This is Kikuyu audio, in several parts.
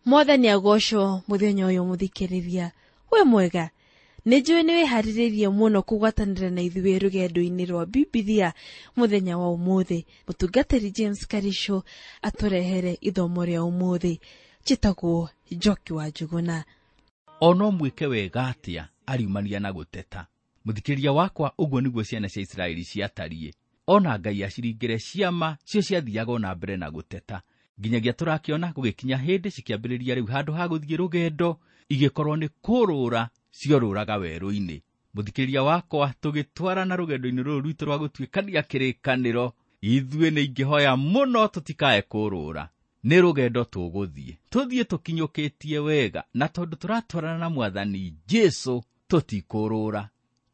Mwathani agocwo muthenya uyu muthikiriria. We mwega, nĩ njũĩ nĩ wĩharĩrĩirie mũno kũgwatanĩra na ithuĩ rũgendo-inĩ rwa Bibilia mũthenya wa ũmũthĩ. Mũtungatĩri James Karisho atũrehere ithomo rĩa ũmũthĩ. Njĩtagwo Njoki wa Njuguna. Ono mwĩke wega atĩa ariumania na gũteta. Mũthikĩrĩria wakwa, ũguo nĩguo ciana cia Isiraeli ciatariĩ. Ona Ngai aciringĩre ciama, cio ciathiaga ona mbere na gũteta. Nginyagia tũrakĩona gũgĩkinya hĩndĩ cikĩambĩrĩria rĩu handũ ha gũthiĩ rũgendo, igĩkorwo nĩ kũrũra ciorũraga werũ-inĩ. Mũthikĩrĩria wakwa, tũgĩtwarana rũgendo-inĩ rũrũ rwitũ rwa gũtuĩkania kĩrĩkanĩro, ithuĩ nĩ ingĩhoya mũno tũtikae kũrũra. Nĩ rũgendo tũgũthiĩ, tũthiĩ tũkinyũkĩtie wega, na tondũ tũratwarana na Mwathani Jesũ tũtikũrũra.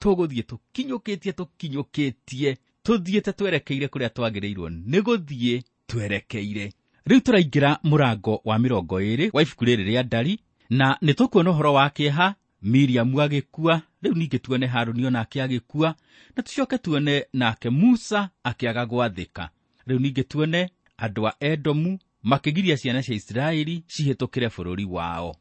Tũgũthiĩ tũkinyũkĩtie tũkinyũkĩtie, tũthiĩte twerekeire kũrĩa twagĩrĩirwo nĩ gũthiĩ twerekeire. Rĩu tũraingĩra mũrango wa 20 wa ibuku rĩrĩ rĩa Ndari, na nĩ tũkuona ũhoro wa kĩeha, Miriamu agĩkua, rĩu ningĩ tuone Harũni onake agĩkua, na tũcoke tuone nake Musa akĩaga gwathĩka. Rĩu ningĩ tuone andũ a Edomu makĩgiria ciana cia Isiraeli cihĩtũkĩre bũrũri wao.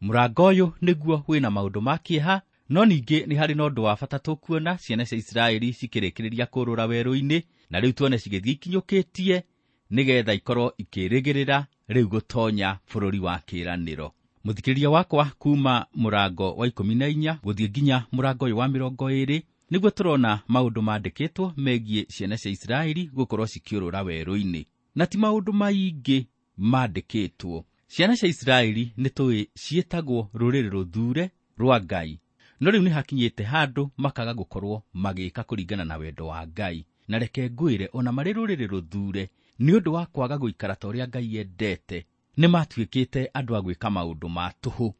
Mũrango ũyũ nĩguo wĩna maũndũ ma kĩeha, no ningĩ nĩ harĩ na ũndũ wa bata tũkuona ciana cia Isiraeli cikĩrĩkĩrĩria kũrũra werũ-inĩ, na rĩu tuone cigĩthiĩ ikinyũkĩtie nĩgetha ikorwo ikĩrĩgĩrĩra rĩu gũtonya bũrũri wa kĩĩranĩro. Mũthikĩrĩria wakwa, kuma mũrango wa 14 gũthiĩ nginya mũrango ũyũ wa 20 nĩguo tũrona maũndũ mandĩkĩtwo megiĩ ciana cia Isiraeli gũkorwo cikĩũrũra werũ-inĩ, na ti maũndũ maingĩ mandĩkĩtwo. Ciana cia Isiraeli nĩ tũĩ ciĩtagwo rũrĩrĩ rũthure rwa Ngai, no rĩu nĩ hakinyĩte handũ makaga gũkorwo magĩka kũringana na wendo wa Ngai. Na reke ngwĩre, ona marĩ rũrĩrĩ rũthure, nĩ ũndũ wa kwaga gũikara ta ũrĩa Ngai endete, nĩ matuĩkĩte andũ a gwĩka maũndũ ma tũhũ.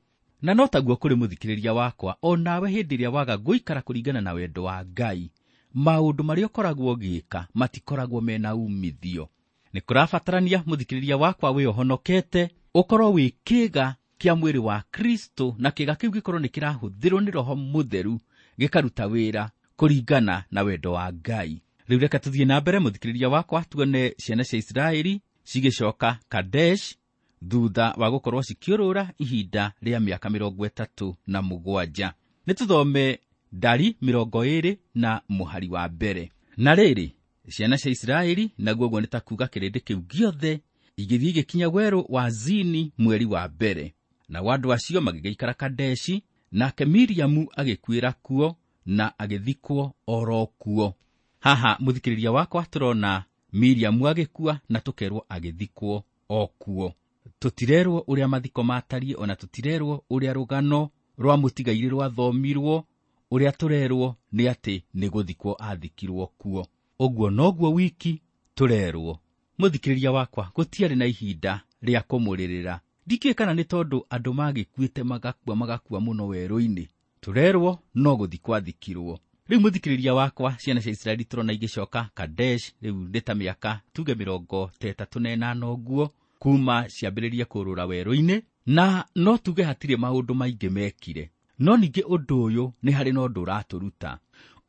Na no taguo kũrĩ mũthikĩrĩria wakwa, o nawe hĩndĩ ĩrĩa waga gũikara kũringana na wendo wa Ngai, maũndũ marĩa ũkoragwo ũgĩka matikoragwo mena umithio. Nĩ kũrabatarania mũthikĩrĩria wakwa wĩohonokete, ũkorwo wĩ kĩĩga kĩa mwĩrĩ wa Kristo, na kĩĩga kĩu gĩkorwo nĩ kĩrahũthĩrwo nĩ Roho Mũtheru gĩkaruta wĩra kũringana na wendo wa Ngai. Rĩu reke tũthiĩ na mbere mũthikĩrĩria wakwa, tuone ciana cia Isiraeli cigĩcoka Kadesh thutha wa gũkorwo cikĩũrũra ihinda rĩa mĩaka 37. Nĩ tũthome Ndari 20 na mũhari wa mbere. Na rĩrĩ, ciana cia Isiraeli, naguo ũguo nĩ ta kuuga kĩrĩndĩ kĩu gĩothe, igĩthiĩ igĩkinya werũ wa Zini mweri wa mbere. Nao andũ acio magĩgĩikara Kadeshi, nake Miriamu agĩkuĩra kuo na agĩthikwo oro kuo. Haha mũthikĩrĩria wakwa tũrona Miriamu agĩkua na tũkerwo agĩthikwo o kuo. Tũtirerwo ũrĩa mathiko matariĩ, ona tũtirerwo ũrĩa rũgano rwa mũtigairĩ rwathomirwo. Ũrĩa tũrerwo nĩ atĩ nĩ gũthikwo athikirwo kuo. Ũguo noguo wiki tũrerwo. Mũthikĩrĩria wakwa, gũtiarĩ na ihinda rĩa kũmũrĩrĩra. Ndikĩũĩ kana nĩ tondũ andũ magĩkuĩte magakua magakua mũno werũ-inĩ. Tũrerwo no gũthikwo athikirwo. Rĩu mũthikĩrĩria wakwa, ciana cia Isiraeli tũrona igĩcoka Kadesh, rĩu nĩ ta mĩaka tuge 38 ũguo kuma ciambĩrĩrie kũrũra werũ-inĩ, na no tuge hatirĩ maũndũ maingĩ mekire. No ningĩ ũndũ ũyũ nĩ harĩ na ũndũ ũratũruta.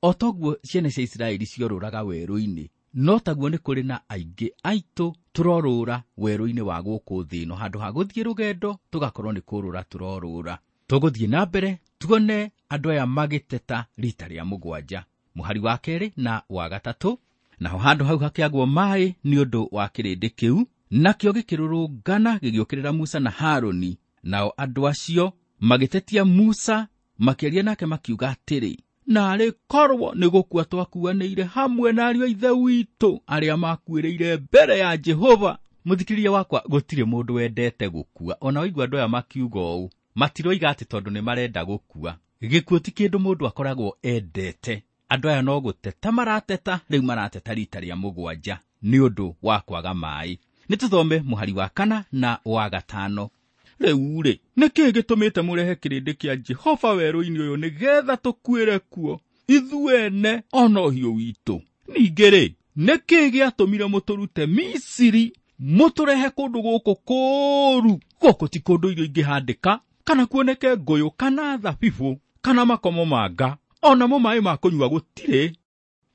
O toguo ciana cia Isiraeli ciorũraga werũ-inĩ, no taguo nĩ kũrĩ na aingĩ aitũ tũrorũra werũ-inĩ wa gũkũ thĩ ĩno. Handũ ha gũthiĩ rũgendo tũgakorwo nĩ kũrũra tũrorũra. Tũgũthiĩ na mbere tuone andũ aya magĩteta rita rĩa 7, mũhari wa 2 na wa 3. Naho handũ hau hakĩagwo maĩ nĩ ũndũ wa kĩrĩndĩ kĩu, nakĩo gĩkĩrũrũngana gĩgĩũkĩrĩra Musa na Harũni. Nao andũ acio magĩtetia Musa, makĩaria nake makiuga atĩrĩ, naarĩ korwo nĩ gũkua twakuanĩire hamwe na ariũ a ithe witũ arĩa makuĩrĩire mbere ya Jehova. Mũthikĩrĩria wakwa, gũtirĩ mũndũ wendete gũkua. Ona waigua andũ aya makiuga ũũ, matiroiga atĩ tondũ nĩ marenda gũkua. Gĩkuũ ti kĩndũ mũndũ akoragwo endete. Andũ aya no gũteta marateta, rĩu marateta rita rĩa 7 nĩ ũndũ wa kwaga maĩ. Nĩ tũthome mũhari wa 4 na wa 5. Rĩu rĩ, nĩ kĩĩ gĩtũmĩte mũrehe kĩrĩndĩ kĩa Jehova werũ-inĩ ũyũ nĩgetha tũkuĩre kuo, ithuene ona ũhiũ witũ? Ningĩ rĩ, nĩ kĩĩ gĩatũmire mũtũrute Misiri, mũtũrehe kũndũ gũkũ kũũru? Gũkũ ti kũndũ irio ingĩhandĩka, kana kuoneke ngũyũ, kana thabibũ, kana makomamanga, onamo maĩ ma kũnyua gũtirĩ.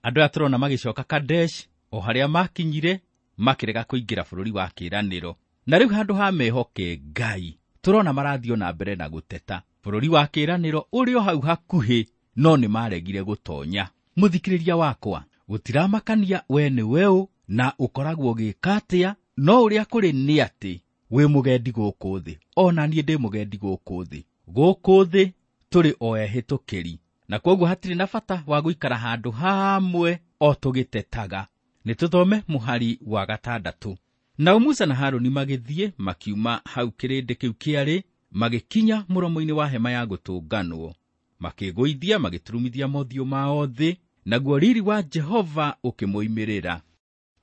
Andũ aya tũrona magĩcoka Kadesh, o harĩa makinyire, makĩrega kũingĩra bũrũri wa kĩĩranĩro. Na rĩu handũ ha mehoke Ngai, Tũrona marathiĩ na mbere na gũteta. Bũrũri wa kĩĩranĩro ũrĩ o hau hakuhĩ, no nĩ maregire gũtonya. Mũthikĩrĩria wakwa, gũtiramakania we nĩ weũ na ũkoragwo ũgĩka atĩa, no ũrĩa kũrĩ nĩ atĩ wĩ mũgendi gũkũ thĩ. Ona niĩ ndĩ mũgendi gũkũ thĩ. Gũkũ thĩ tũrĩ o ehĩtũkĩri, na kwoguo hatirĩ na bata wa gũikara handũ hamwe o tũgĩtetaga. Nĩ tũthome mũhari wa 6. Nao Musa na Harũni magĩthiĩ makiuma hau kĩrĩndĩ kĩu kĩarĩ, magĩkinya mũromo-inĩ wa hema ya gũtũnganwo. Makĩgũithia magĩturumithia mothiũ mao thĩ, naguo riri wa Jehova ũkĩmoimĩrĩra.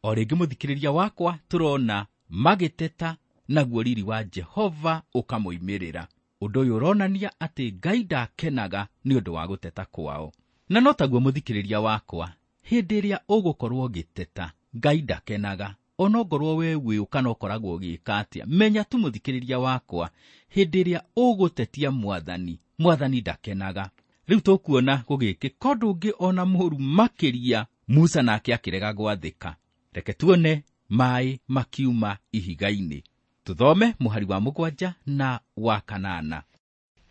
O rĩngĩ mũthikĩrĩria wakwa, tũrona magĩteta, naguo riri wa Jehova ũkamoimĩrĩra. Ũndũ ũyũ ũronania atĩ Ngai ndakenaga nĩ ũndũ wa gũteta kwao. Na no taguo mũthikĩrĩria wakwa, hĩndĩ ĩrĩa ũgũkorwo ũgĩteta, Ngai ndakenaga. Onongorwo we wĩ kana ũkoragwo ũgĩka atĩa, menya tu mũthikĩrĩria wakwa, hĩndĩ ĩrĩa ũgũtetia Mwathani, Mwathani ndakenaga. Rĩu tũkuona gũgĩkĩka ũndũ ũngĩ ona mũũru makĩria, Musa nake akĩrega gwathĩka. Reke tuone maĩ makiuma ihiga-inĩ. Tũthome mũhari wa 7 na wa 8.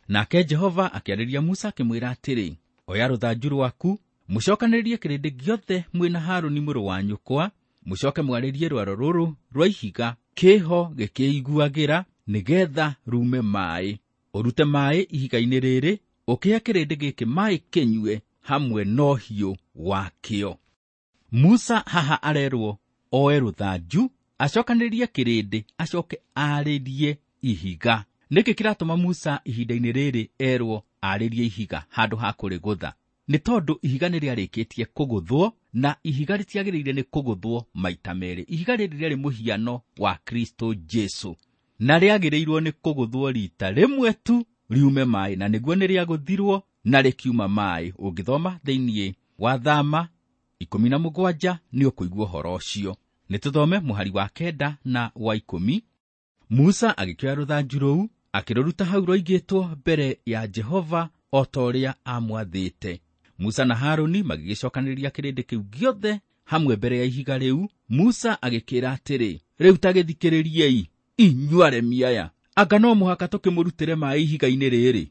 Nake Jehova akĩarĩria Musa akĩmwĩra atĩrĩ, oya rũthanju rwaku, mũcokanĩrĩrie kĩrĩndĩ gĩothe mwĩ na Harũni mũrũ wa nyũkwa, mũcoke mwarĩrie rwaro rũrũ rwa ihiga kĩho gĩkĩiguagĩra, nĩgetha rume maĩ. Ũrute maĩ ihiga-inĩ rĩrĩ, ũkĩhe kĩrĩndĩ gĩkĩ maĩ kĩnyue hamwe na ũhiũ wakĩo. Musa haha arerwo oe rũthanju, acokanĩrĩrie kĩrĩndĩ, acoke arĩrie ihiga. Nĩkĩ kĩratũma Musa ihinda-inĩ rĩrĩ erwo arĩrie ihiga handũ ha kũrĩgũtha? Nĩ tondũ ihiga nĩ rĩarĩkĩtie kũgũthwo, na ihiga rĩtiagĩrĩire nĩ kũgũthwo maita merĩ. Ihiga rĩrĩ rĩarĩ mũhiano wa Kristo Jesu, na rĩagĩrĩirwo nĩ kũgũthwo rita rĩmwe tu riume maĩ, na nĩguo nĩ rĩagũthirwo na rĩkiuma maĩ. Ũngĩthoma thĩinĩ wa Thama 17 nĩ ũkũigua ũhoro ũcio. Nĩ tũthome mũhari wa 9 na wa 10. Musa agĩkĩoya rũthanju rũu, akĩrũruta hau rwaigĩtwo mbere ya Jehova o ta ũrĩa aamwathĩte. Musa na Harũni magĩgĩcokanĩrĩria kĩrĩndĩ kĩu gĩothe hamwe mbere ya ihiga rĩu. Musa agĩkĩra atĩrĩ, rĩu ta gĩthikĩrĩriei, inyuĩ aremi aya, anga no mũhaka tũkĩmũrutĩre maĩ ihiga-inĩ rĩrĩ?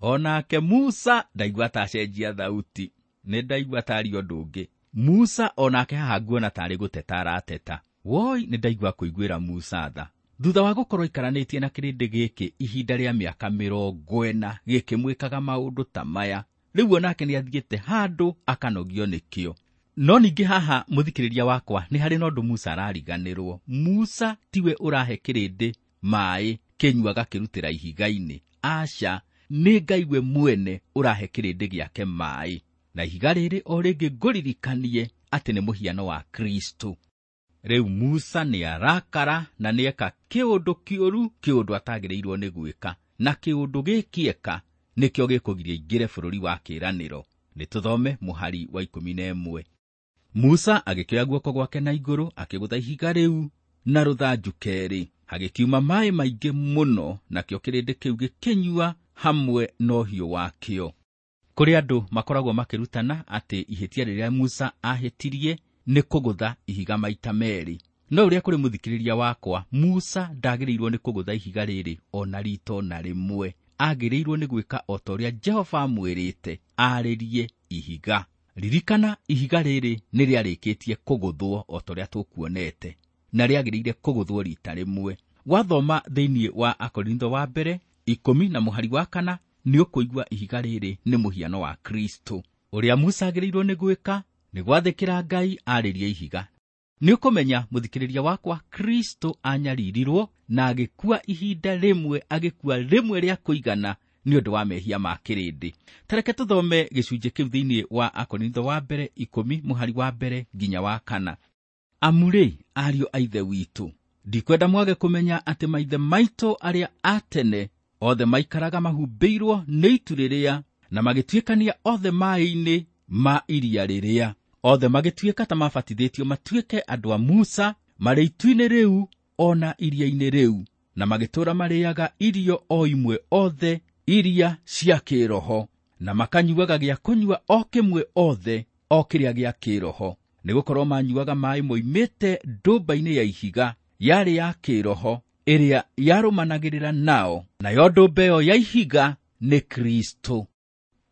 Onake Musa ndaigua ta acenjia thauti, nĩ ndaigua tarĩ ũndũ ũngĩ. Musa onake haha nguona tarĩ gũteta arateta. Woi, nĩ ndaigua kũiguĩra Musa tha. Thutha wa gũkorwo ikaranĩtie na kĩrĩndĩ gĩkĩ ihinda rĩa mĩaka 40 gĩkĩmwĩkaga maũndũ ta maya, rĩu onake nĩ athiĩte handũ akanogio nĩkĩo. No ningĩ haha mũthikĩrĩria wakwa, nĩ harĩ na ũndũ Musa arariganĩrwo. Musa tiwe ũrahe kĩrĩndĩ maĩ kĩnyuaga kĩrutĩra ihiga-inĩ. Aca, nĩ Ngai we mwene ũrahe kĩrĩndĩ gĩake maĩ. Na ihiga rĩrĩ o rĩngĩ ngũririkanie atĩ nĩ mũhiano wa Kristo. Rĩu Musa nĩ arakara na nĩeka kĩũndũ kĩũru, kĩũndũ atagĩrĩirwo nĩ gwĩka, na kĩũndũ gĩkĩ eka nĩkĩo gĩkũgiria aingĩre bũrũri wa kĩĩranĩro. Nĩ tũthome mũhari wa 11. Musa agĩkĩoya guoko gwake na igũrũ, akĩgũtha ihiga rĩu na rũthanju kerĩ. Hagĩkiuma maĩ maingĩ mũno, nakĩo kĩrĩndĩ kĩu gĩkĩnyua hamwe na ũhiũ wakĩo. Kũrĩ andũ makoragwo makĩrutana atĩ ihĩtia rĩrĩa Musa ahĩtirie nĩ kũgũtha ihiga maita merĩ. No ũrĩa kũrĩ mũthikĩrĩria wakwa, Musa ndagĩrĩirwo nĩ kũgũtha ihiga rĩrĩ ona rita ona rĩmwe. Agĩrĩirwo nĩ gwĩka o ta ũrĩa Jehova amwĩrĩte, arĩrie ihiga. Ririkana, ihiga rĩrĩ nĩ rĩarĩkĩtie kũgũthwo o ta ũrĩa tũkuonete, na rĩagĩrĩire kũgũthwo rita rĩmwe. Wathoma thĩinĩ wa Akorintho wa mbere 10 na mũhari wa 4, nĩ ũkũigua ihiga rĩrĩ nĩ mũhiano wa Kristo. Ũrĩa Musa agĩrĩirwo nĩ gwĩka nĩ gwathĩkĩra Ngai arĩrie ihiga. Nĩ ũkũmenya mũthikĩrĩria wakwa, Kristo anyaririrwo na agĩkua ihinda rĩmwe, agĩkua rĩmwe rĩa kũigana nĩ ũndũ wa mehia ma kĩrĩndĩ. Ta reke tũthome gĩcunjĩ kĩu thĩinĩ wa Akorintho wa mbere 10 mũhari wa 1 nginya wa 4. Amu rĩ, ariũ a Ithe witũ, ndikwenda mwage kũmenya atĩ maithe maitũ arĩa a tene othe maikaraga mahumbĩirwo nĩ itu rĩrĩa, na magĩtuĩkania othe maĩ-inĩ ma iria rĩrĩa. Othe magĩtuĩka ta mabatithĩtio matuĩke andũ a Musa marĩ itu-inĩ rĩu ona iria-inĩ rĩu, na magĩtũũra marĩĩaga irio o imwe othe iria cia kĩĩroho, na makanyuaga gĩa kũnyua o kĩmwe othe o kĩrĩa gĩa kĩĩroho, nĩgũkorwo manyuaga maĩ moimĩte ndũmba-inĩ ya ihiga yarĩ ya kĩĩroho ĩrĩa yarũmanagĩrĩra nao, nayo ndũmba ĩyo ya ihiga nĩ Kristo.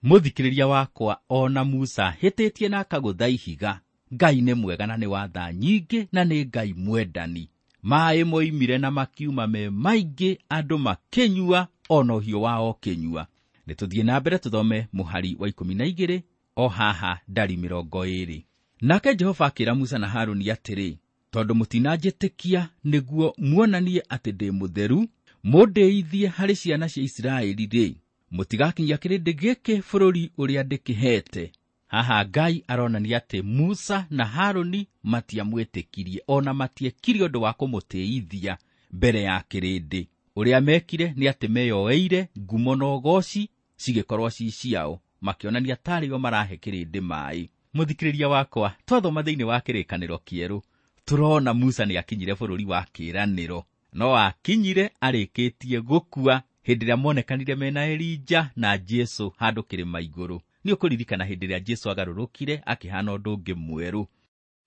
Mũthikĩrĩria wakwa, ona Musa hĩtĩtie na akagũtha ihiga, Ngai nĩ mwega na nĩ wa tha nyingĩ na nĩ Ngai mwendani. Maĩ moimire na makiuma me maingĩ, andũ makĩnyua ona ũhiũ wao ũkĩnyua. Nĩ tũthiĩ na mbere tũthome mũhari wa 12 o haha ndari 20. Nake Jehova akĩra Musa na Harũni atĩrĩ, tondũ mũtinanjĩtĩkia nĩguo muonanie atĩ ndĩ mũtheru, mũndĩithie harĩ ciana cia Isiraeli-rĩ, mũtigakinyia kĩrĩndĩ gĩkĩ bũrũri ũrĩa ndĩkĩheete. Haha Ngai aronania atĩ Musa na Harũni matiamwĩtĩkirie, ona matiekire ũndũ wa kũmũtĩithia mbere ya kĩrĩndĩ. Ũrĩa mekire nĩ atĩ meyoeire ngumo na ũgoci cigĩkorwo ci ciao, makĩonania tarĩ o marahe kĩrĩndĩ maĩ. Mũthikĩrĩria wakwa, twathoma thĩinĩ wa kĩrĩkanĩro kĩerũ, tũrona Musa nĩ akinyire bũrũri wa kĩĩranĩro, no akinyire arĩkĩtie gũkua hĩndĩ ĩrĩa monekanire mena Elija na Jesũ handũ kĩrĩma igũrũ. Nĩ ũkũririkana hĩndĩ ĩrĩa Jesũ agarũrũkire akĩhana ũndũ ũngĩ mwerũ.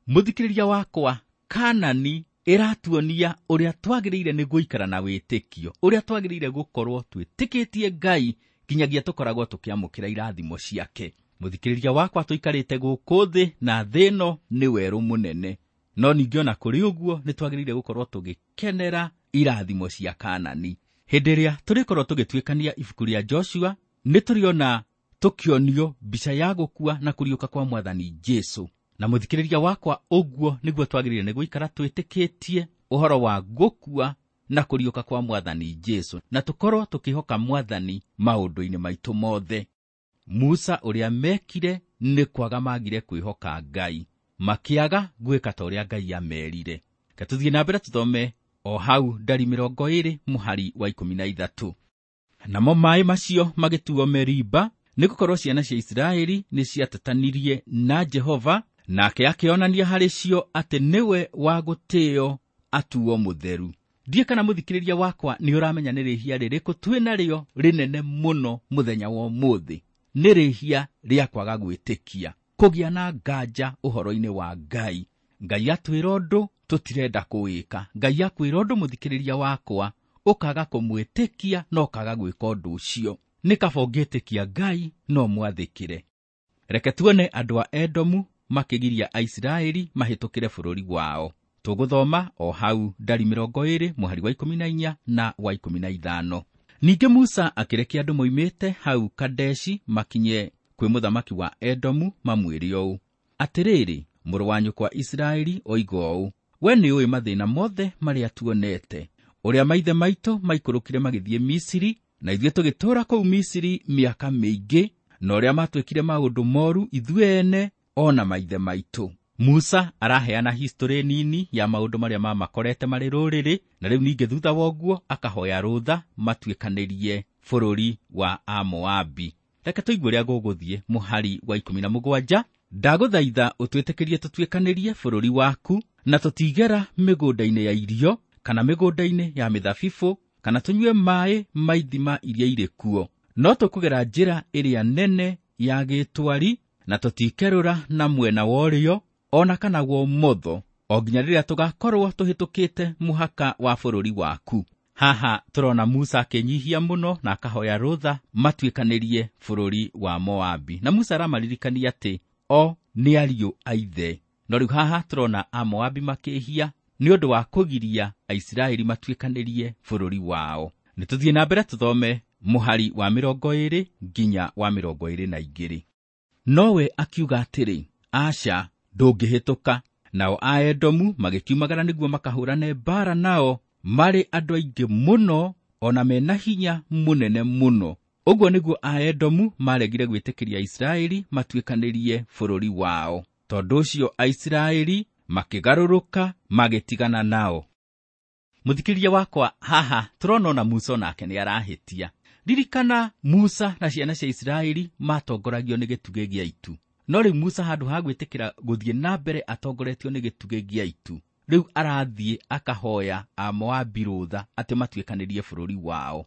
Mũthikĩrĩria wakwa, Kanani ĩratuonia ũrĩa twagĩrĩire nĩ gũikara na wĩtĩkio, ũrĩa twagĩrĩire gũkorwo twĩtĩkĩtie Ngai nginyagia tũkoragwo tũkĩamũkĩra irathimo ciake. Mũthikĩrĩria wakwa, tũikarĩte gũkũ thĩ na thĩ ĩno nĩ werũ mũnene, no ningĩ ona kũrĩ ũguo nĩ twagĩrĩire gũkorwo tũgĩkenera irathimo cia Kanani. Hĩndĩ ĩrĩa tũrĩkorwo tũgĩtuĩkania ibuku rĩa Joshua, nĩ tũrĩona tũkĩonio mbica ya gũkua na kũriũka kwa Mwathani Jesũ. Na mũthikĩrĩria wakwa, ũguo nĩguo twagĩrĩire nĩ gũikara twĩtĩkĩtie ũhoro wa gũkua na kũriũka kwa Mwathani Jesũ, na tũkorwo tũkĩhoka Mwathani maũndũ-inĩ maitũ mothe. Musa ũrĩa mekire nĩ kwaga magire kwĩhoka Ngai, makĩaga gwĩka ta ũrĩa Ngai amerire. Reke tũthiĩ na mbere tũthome o hau ndari 20 mũhari wa 13. Namo maĩ macio magĩtuo Meriba, nĩgũkorwo ciana cia Isiraeli nĩciatetanirie na Jehova, nake akĩonania harĩ cio atĩ nĩwe wa gũtĩo atuo mũtheru. Ndiĩ kana mũthikĩrĩria wakwa nĩ ũramenya nĩ rĩhia rĩrĩkũ twĩ narĩo rĩnene mũno mũthenya wa ũmũthĩ. Nĩ rĩhia rĩa kwaga gwĩtĩkia, kũgĩa na nganja ũhoro-inĩ wa Ngai. Ngai atwĩra ũndũ tũtirenda kũwĩka. Ngai akwĩra ũndũ mũthikĩrĩria wakwa, ũkaga kũmwĩtĩkia na ũkaga gwĩka ũndũ ũcio. Nĩ kaba ũngĩtĩkia Ngai no mwathĩkĩre. Reke tuone andũ a Edomu makĩgiria Aisiraeli mahĩtũkĩre bũrũri wao. Tũgũthoma o hau ndari 20 mũhari wa 14 na wa 15. Ningĩ Musa akĩrekia andũ moimĩte hau Kadeshi makinye kwĩ mũthamaki wa Edomu mamwĩre ũũ: atĩrĩrĩ, mũrũ wa nyũkwa Isiraeli oiga ũũ, we nĩũĩ mathĩna mothe marĩa tuonete, ũrĩa maithe maitũ maikũrũkire magĩthiĩ Misiri, na ithuĩ tũgĩtũũra kũu Misiri mĩaka mĩingĩ, na ũrĩa matwĩkire maũndũ moru ithuĩ ene ona maithe maitũ. Musa araheana history nini ya maũndũ marĩa mamakorete marĩ rũrĩrĩ, na rĩu ningĩ thutha wa ũguo akahoya rũtha matuĩkanĩrie bũrũri wa Amoabi. Reke tũigue ũrĩa gũgũthiĩ mũhari wa 17. Ndagũthaitha ũtwĩtĩkĩrie tũtuĩkanĩrie bũrũri waku, na tũtigera mĩgũnda-inĩ ya irio, kana mĩgũnda-inĩ ya mĩthabibũ, kana tũnyue maĩ ma ithima iria irĩ kuo. No tũkũgera njĩra ĩrĩa nene ya gĩtwari, na tũtikerũra na mwena wa ũrĩo ona kana wa ũmotho, o nginya rĩrĩa tũgakorwo tũhĩtũkĩte mũhaka wa bũrũri waku. Haha tũrona Musa akĩnyihia mũno na akahoya rũtha matuĩkanĩrie bũrũri wa Moabi. Na Musa aramaririkania atĩ o nĩ ariũ a ithe. No rĩu haha tũrona Amoabi makĩhia nĩ ũndũ wa kũgiria Aisiraeli matuĩkanĩrie bũrũri wao. Nĩ tũthiĩ na mbere tũthome mũhari wa 20 nginya wa 22. Nowe akiuga atĩrĩ, aca, ndũngĩhĩtũka. Nao Aedomu magĩkiumagara nĩguo makahũrane mbaara nao, marĩ andũ aingĩ mũno ona mena hinya mũnene mũno. Ũguo nĩguo Aedomu maregire gwĩtĩkĩria Aisiraeli matuĩkanĩrie bũrũri wao. Tondũ ũcio Aisiraeli makĩgarũrũka magĩtigana nao. Mũthikĩrĩria wakwa, haha tũrona ona Musa onake nĩ arahĩtia. Ririkana Musa na ciana cia Isiraeli matongoragio nĩ gĩtugĩ gĩa itu. No rĩu Musa handũ ha gwĩtĩkĩra gũthiĩ na mbere atongoretio nĩ gĩtugĩ gĩa itu, rĩu arathiĩ akahoya Amoabi rũtha atĩ matuĩkanĩrie bũrũri wao.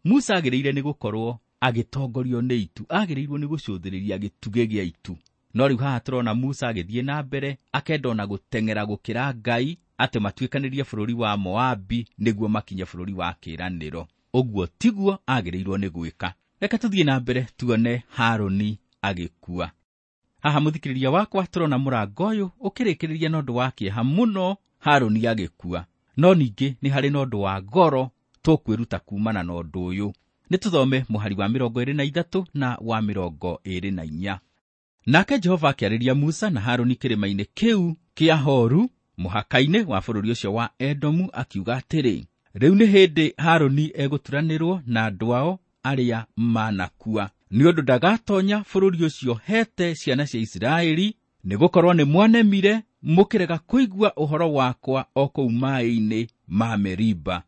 Musa agĩrĩire nĩ gũkorwo agĩtongorio nĩ itu, agĩrĩirwo nĩ gũcũthĩrĩria gĩtugĩ gĩa itu. No rĩu haha tũrona Musa agĩthiĩ na mbere akenda ona gũteng'era gũkĩra Ngai, atĩ matuĩkanĩrie bũrũri wa Moabi nĩguo makinye bũrũri wa kĩĩranĩro. Ũguo tiguo agĩrĩirwo nĩ gwĩka. Reke tũthiĩ na mbere tuone Harũni agĩkua. Haha mũthikĩrĩria wakwa tũrona mũrango ũyũ ũkĩrĩkĩrĩria na ũndũ wa kĩeha mũno, Harũni agĩkua. No ningĩ nĩ harĩ na ũndũ wa goro tũkwĩruta kumana na ũndũ ũyũ. Nĩ tũthome mũhari wa 23 na wa 24. Nake Jehova akĩarĩria Musa na Harũni kĩrĩma-inĩ kĩu kĩa Horu mũhaka-inĩ wa bũrũri ũcio wa Edomu, akiuga atĩrĩ, rĩu nĩ hĩndĩ Harũni egũturanĩrwo na andũ ao arĩa manakua, nĩ ũndũ ndagatonya bũrũri ũcio hete ciana cia Isiraeli, nĩgũkorwo nĩ mwanemire mũkĩrega kũigua ũhoro wakwa o kũu maaĩ-inĩ ma Meriba.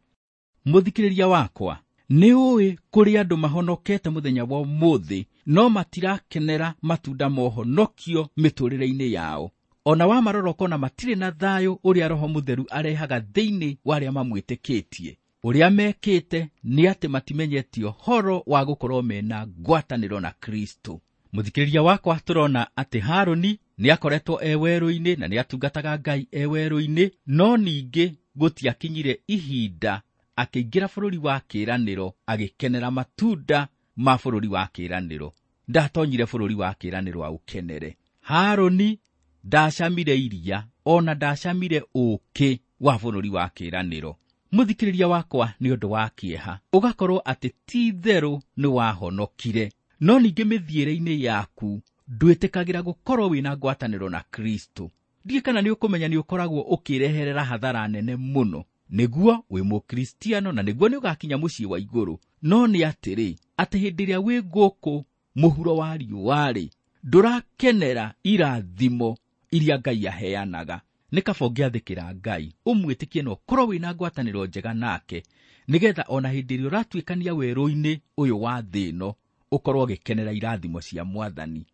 Mũthikĩrĩria wakwa, nĩ ũĩ kũrĩ andũ mahonokete mũthenya wa ũmũthĩ no matirakenera matunda ma ũhonokio mĩtũrĩre-inĩ yao. Ona wamarora ũkona matirĩ na thayũ ũrĩa Roho Mũtheru arehaga thĩinĩ wa arĩa mamwĩtĩkĩtie. Ũrĩa mekĩte nĩ atĩ matimenyete ũhoro wa gũkorwo mena ngwatanĩro na Kristo. Mũthikĩrĩria wakwa, tũrona atĩ Harũni nĩ akoretwo e werũ-inĩ na nĩ atungataga Ngai e werũ-inĩ, no ningĩ gũtiakinyire ihinda akĩingĩra bũrũri wa kĩĩranĩro agĩkenera matunda ma bũrũri wa kĩĩranĩro. Ndatonyire bũrũri wa kĩĩranĩro aũkenere. Harũni ndacamire iria ona ndacamire ũũkĩ wa bũrũri wa kĩĩranĩro. Mũthikĩrĩria wakwa, nĩ ũndũ wa kĩeha ũgakorwo atĩ ti itherũ nĩ wahonokire, no ningĩ mĩthiĩre-inĩ yaku ndwĩtĩkagĩra gũkorwo wĩna ngwatanĩro na Kristo. Ndiũĩ kana nĩ ũkũmenya nĩ ũkoragwo ũkĩreherera hathara nene mũno. Nĩguo wĩ mũkristiano na nĩguo nĩ ũgakinya mũciĩ wa igũrũ, no nĩ atĩrĩ, atĩ hĩndĩ ĩrĩa wĩ gũkũ mũhuro wa riũa-rĩ, ndũrakenera irathimo iria Ngai aheanaga. Nĩ kaba ũngĩathĩkĩra Ngai, ũmwĩtĩkie na ũkorwo wĩna ngwatanĩro njega nake, nĩgetha ona hĩndĩ ĩrĩa ũratuĩkania werũ-inĩ ũyũ wa thĩ ĩno ũkorwo ũgĩkenera irathimo cia Mwathani.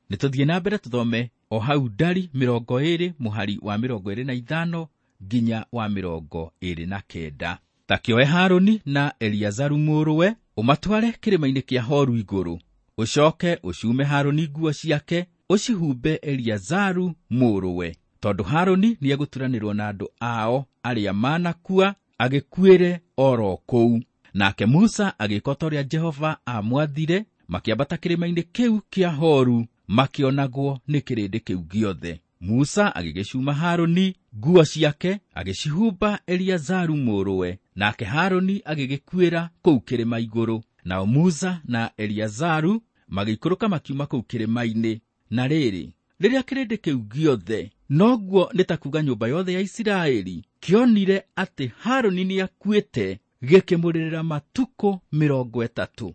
Nĩ tũthiĩ na mbere tũthome o hau Ndari 20 mũhari wa 25 nginya wa 29. Ta kĩoe Harũni na Eliazaru mũrũwe, ũmatware kĩrĩma-inĩ kĩa Horu igũrũ. Ũcoke ũcume Harũni nguo ciake, ũcihumbe Eliazaru mũrũwe, tondũ Harũni nĩegũturanĩrwo na andũ ao arĩa manakua, agĩkuĩre oro kũu. Nake Musa agĩĩka ta ũrĩa Jehova aamwathire, makĩambata kĩrĩma-inĩ kĩu kĩa Horu, makĩonagwo nĩ kĩrĩndĩ kĩu gĩothe. Musa agĩgĩcuma Harũni nguo ciake, agĩcihumba Eliazaru mũrũwe, nake Harũni agĩgĩkuĩra kũu kĩrĩma igũrũ. Nao Musa na Eliazaru magĩikũrũka makiuma kũu kĩrĩma-inĩ. Na rĩrĩ, rĩrĩa kĩrĩndĩ kĩu gĩothe, noguo nĩ ta kuuga nyũmba yothe ya Isiraeli, kĩonire atĩ Harũni nĩakuĩte, gĩkĩmũrĩrĩra matukũ 30.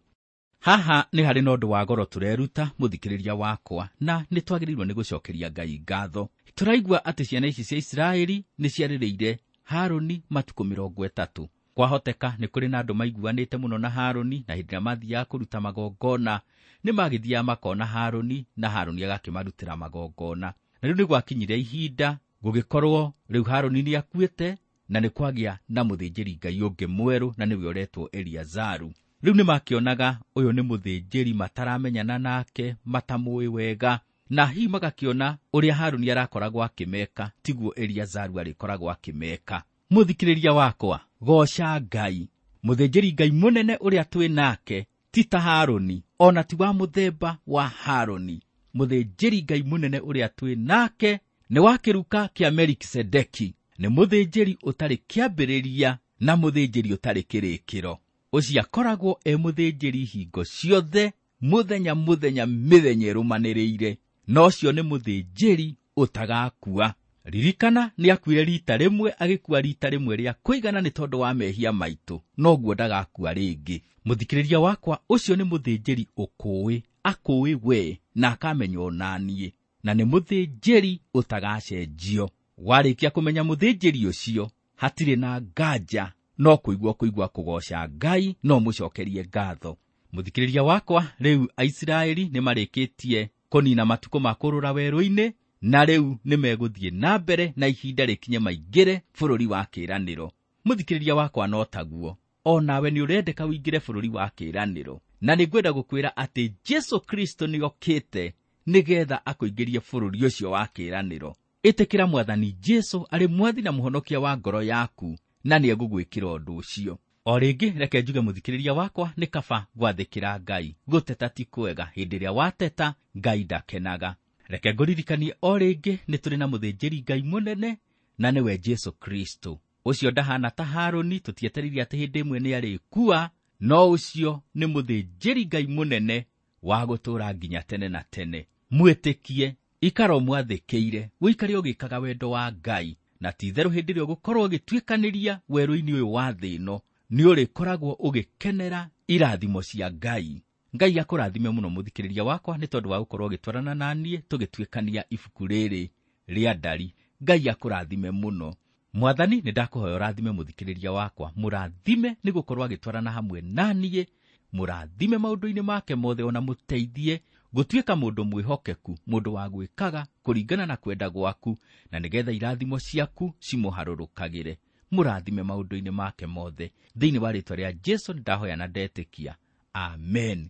Haha nĩ harĩ na ũndũ wa goro tũreruta, mũthikĩrĩria wakwa, na nĩ twagĩrĩirwo nĩ gũcokeria Ngai ngatho. Tũraigua atĩ ciana ici cia Isiraeli nĩ ciarĩrĩire Harũni matukũ 30. Kwahoteka nĩ kũrĩ na andũ maiguanĩte mũno na Harũni, na hĩndĩ ĩrĩa mathiaga kũruta magongona nĩ magĩthiaga makona Harũni, na Harũni agakĩmarutĩra magongona. Na rĩu nĩ gwakinyire ihinda gũgĩkorwo rĩu Harũni nĩ akuĩte, na nĩ kwagĩa na mũthĩnjĩri Ngai ũngĩ mwerũ, na nĩwe ũretwo Eliazaru. Rĩu nĩ makĩonaga ũyũ nĩ mũthĩnjĩri mataramenyana nake, matamũĩ wega, na hihi magakĩona ũrĩa Harũni arakoragwo akĩmeka tiguo Eliazaru arĩkoragwo akĩmeka. Mũthikĩrĩria wakwa, goca Ngai. Mũthĩnjĩri Ngai mũnene ũrĩa twĩ nake ti ta Harũni, ona ti wa mũthemba wa Harũni. Mũthĩnjĩri Ngai mũnene ũrĩa twĩ nake nĩ wa kĩruka kĩa Melikisedeki, nĩ mũthĩnjĩri ũtarĩ kĩambĩrĩria na mũthĩnjĩri ũtarĩ kĩrĩkĩro. Ũcio akoragwo e mũthĩnjĩri hingo ciothe, mũthenya mũthenya, mĩthenya ĩrũmanĩrĩire, na ũcio nĩ mũthĩnjĩri ũtagakua. Ririkana nĩ akuire rita rĩmwe, agĩkua rita rĩmwe rĩa kũigana nĩ tondũ wa mehia maitũ, noguo ndagakua rĩngĩ. Mũthikĩrĩria wakwa, ũcio nĩ mũthĩnjĩri ũkũĩ, akũĩ we na akamenya onaniĩ, na nĩ mũthĩnjĩri ũtagacenjio. Warĩkia kũmenya mũthĩnjĩri ũcio, hatirĩ na nganja, no kũigua kũigua kũgoca Ngai, no mũcokerie ngatho. Mũthikĩrĩria wakwa, rĩu Aisiraeli nĩ marĩkĩtie kũnina matukũ ma kũrũra werũ-inĩ, na rĩu nĩ megũthiĩ na mbere na ihinda rĩkinye maingĩre bũrũri wa kĩĩranĩro. Mũthikĩrĩria wakwa, no taguo o nawe nĩ ũrendeka ũingĩre bũrũri wa kĩĩranĩro, na nĩ ngwenda gũkwĩra atĩ Jesu Kristo nĩ okĩte nĩgetha akũingĩrie bũrũri ũcio wa kĩĩranĩro. Ĩtĩkĩra Mwathani Jesũ arĩ mwathi na mũhonokia wa ngoro yaku, na nĩ egũgwĩkĩra ũndũ ũcio. O rĩngĩ reke njuge mũthikĩrĩria wakwa, nĩ kaba gwathĩkĩra Ngai. Gũteta ti kwega, hĩndĩ ĩrĩa wateta Ngai ndakenaga. Reke ngũririkanie o rĩngĩ nĩ tũrĩ na mũthĩnjĩri Ngai mũnene, na nĩwe Jesũ Kristo. Ũcio ndahana ta Harũni, tũtietereire atĩ hĩndĩ ĩmwe nĩ arĩkua, no ũcio nĩ mũthĩnjĩri Ngai mũnene wa gũtũũra nginya tene na tene. Mwĩtĩkie, ikara ũmwathĩkĩire, ũikare ũgĩkaga wendo wa Ngai, na ti-itherũ hĩndĩ ĩrĩa ũgũkorwo ũgĩtuĩkanĩria werũ-inĩ ũyũ wa thĩ ĩno, nĩ ũrĩkoragwo ũgĩkenera irathimo cia Ngai. Ngai akũrathime mũno mũthikĩrĩria wakwa nĩ tondũ wa gũkorwo ũgĩtwarana na niĩ tũgĩtuĩkania ibuku rĩrĩ rĩa Ndari. Ngai akũrathime mũno. Mwathani, nĩ ndakũhoya ũrathime mũthikĩrĩria wakwa, mũrathime nĩ gũkorwo agĩtwarana hamwe na niĩ, mũrathime maũndũ-inĩ make mothe, ona mũteithie gũtuĩka mũndũ mwĩhokeku, mũndũ wa gwĩkaga kũringana na kwenda gwaku, na nĩgetha irathimo ciaku cimũharũrũkagĩre. Mũrathime maũndũ-inĩ make mothe. Thĩinĩ wa rĩĩtwa rĩa Jesũ nĩndahoya na ndetĩkia. Amen.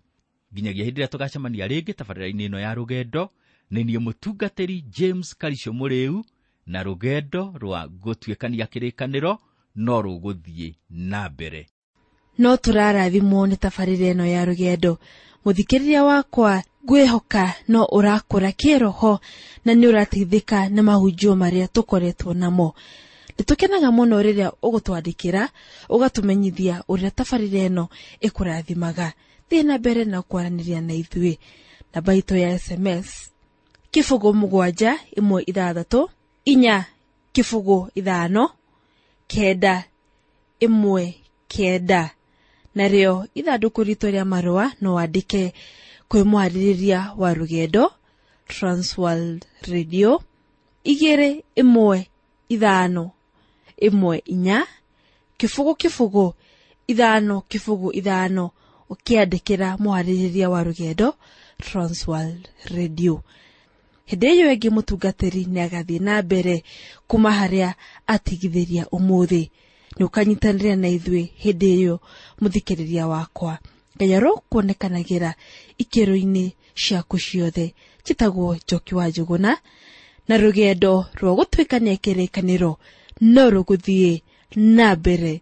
Nginyagia hĩndĩ ĩrĩa tũgacemania rĩngĩ tabarĩra-inĩ ĩno ya rũgendo, nĩ niĩ mũtungatĩri James Karisho Mũrĩu, na rũgendo rwa gũtuĩkania kĩrĩkanĩro no rũgũthiĩ na mbere. No tũrarathimwo nĩ tabarĩra ĩno ya rũgendo. Mũthikĩrĩria wakwa, ngwĩhoka no ũrakũra kĩroho na nĩ ũrateithĩka nĩ mahunjio marĩa tũkoretwo namo. Nĩtũkenaga mũno rĩrĩa ũgũtwandĩkĩra, ũgatũmenyithia ũrĩa tabarĩra ĩno ĩkũrathimaga. Thiĩ na mbere na kwaranĩria na ithuĩ. Namba itũ ya SMS 0 7 1 6 4 0 5 9 1 9. Narĩo ithandũkũ ritũ rĩa marũa no wandĩke kwĩ mwarĩrĩria wa rũgendo Transworld Radio 2 1 5 1 4 0 0 5 0 5, ũkĩandĩkĩra mwarĩrĩria wa rũgendo Transworld Radio. Hĩndĩ ĩyo ĩngĩ mũtungatĩri nĩ agathiĩ na mbere kuma harĩa atigithĩria ũmũthĩ. Nĩ ũkanyitanĩra na ithuĩ hĩndĩ ĩyo mũthikĩrĩria wakwa. Ngai arokuonekanagĩra ikĩro-inĩ ciaku ciothe. Njĩtagwo Njoki wa Njũgũna, na rũgendo rwa gũtuĩkania kĩrĩkanĩro no rũgũthiĩ na mbere.